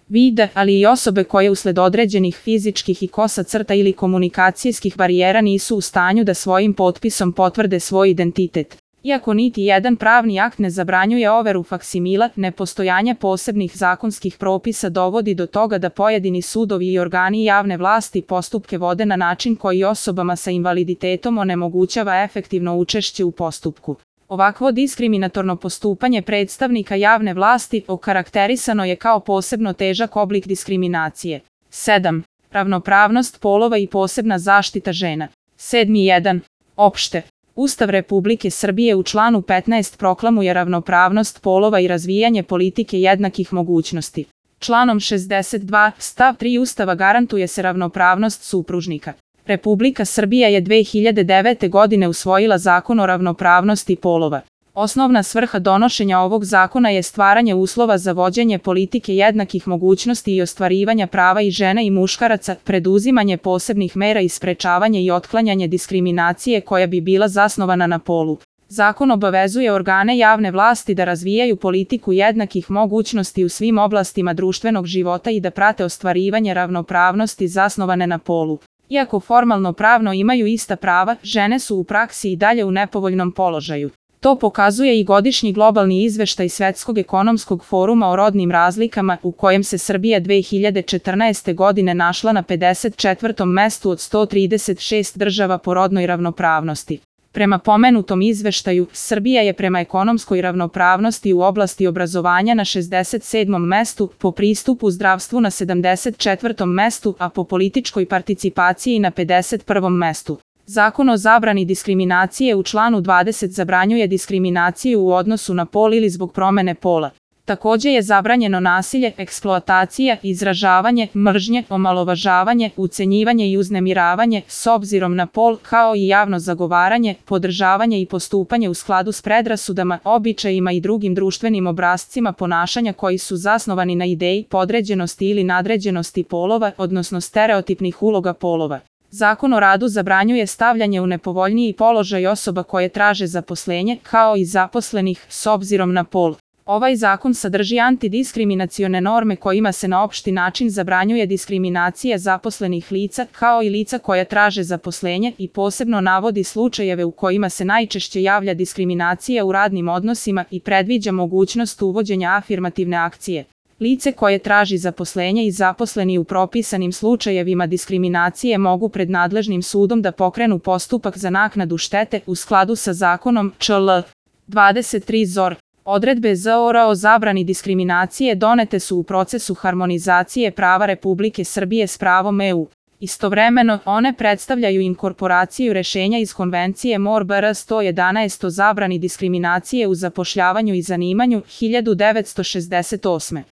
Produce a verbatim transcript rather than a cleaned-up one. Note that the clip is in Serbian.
vide, ali i osobe koje usled određenih fizičkih i kosa crta ili komunikacijskih barijera nisu u stanju da svojim potpisom potvrde svoj identitet. Iako niti jedan pravni akt ne zabranjuje overu faksimila, nepostojanje posebnih zakonskih propisa dovodi do toga da pojedini sudovi i organi javne vlasti postupke vode na način koji osobama sa invaliditetom onemogućava efektivno učešće u postupku. Ovakvo diskriminatorno postupanje predstavnika javne vlasti okarakterisano je kao posebno težak oblik diskriminacije. sedam. Ravnopravnost polova i posebna zaštita žena. sedmi jedan. Opšte. Ustav Republike Srbije u članu petnaest proklamuje ravnopravnost polova i razvijanje politike jednakih mogućnosti. Članom šezdeset dva stav tri Ustava garantuje se ravnopravnost supružnika. Republika Srbija je dve hiljade devete. godine usvojila Zakon o ravnopravnosti polova. Osnovna svrha donošenja ovog zakona je stvaranje uslova za vođenje politike jednakih mogućnosti i ostvarivanja prava i žena i muškaraca, preduzimanje posebnih mera i sprečavanje i otklanjanje diskriminacije koja bi bila zasnovana na polu. Zakon obavezuje organe javne vlasti da razvijaju politiku jednakih mogućnosti u svim oblastima društvenog života i da prate ostvarivanje ravnopravnosti zasnovane na polu. Iako formalno pravno imaju ista prava, žene su u praksi i dalje u nepovoljnom položaju. To pokazuje i godišnji globalni izveštaj Svetskog ekonomskog foruma o rodnim razlikama, u kojem se Srbija dve hiljade četrnaeste. godine našla na pedeset četvrtom mestu od sto trideset šest država po rodnoj ravnopravnosti. Prema pomenutom izveštaju, Srbija je prema ekonomskoj ravnopravnosti u oblasti obrazovanja na šezdeset sedmom mestu, po pristupu zdravstvu na sedamdeset četvrtom mestu, a po političkoj participaciji na pedeset prvom mestu. Zakon o zabrani diskriminacije u članu dvadeset zabranjuje diskriminaciju u odnosu na pol ili zbog promene pola. Takođe je zabranjeno nasilje, eksploatacija, izražavanje, mržnje, omalovažavanje, ucenjivanje i uznemiravanje s obzirom na pol, kao i javno zagovaranje, podržavanje i postupanje u skladu s predrasudama, običajima i drugim društvenim obrascima ponašanja koji su zasnovani na ideji podređenosti ili nadređenosti polova, odnosno stereotipnih uloga polova. Zakon o radu zabranjuje stavljanje u nepovoljniji položaj osoba koje traže zaposlenje, kao i zaposlenih, s obzirom na pol. Ovaj zakon sadrži antidiskriminacione norme kojima se na opšti način zabranjuje diskriminacija zaposlenih lica, kao i lica koja traže zaposlenje, i posebno navodi slučajeve u kojima se najčešće javlja diskriminacija u radnim odnosima i predviđa mogućnost uvođenja afirmativne akcije. Lice koje traži zaposlenje i zaposleni u propisanim slučajevima diskriminacije mogu pred nadležnim sudom da pokrenu postupak za naknadu štete u skladu sa zakonom čl. dvadeset tri Z O R. Odredbe Z O R o zabrani diskriminacije donete su u procesu harmonizacije prava Republike Srbije s pravom E U. Istovremeno, one predstavljaju inkorporaciju rešenja iz Konvencije M O R B R sto jedanaest o zabrani diskriminacije u zapošljavanju i zanimanju hiljadu devetsto šezdeset osme.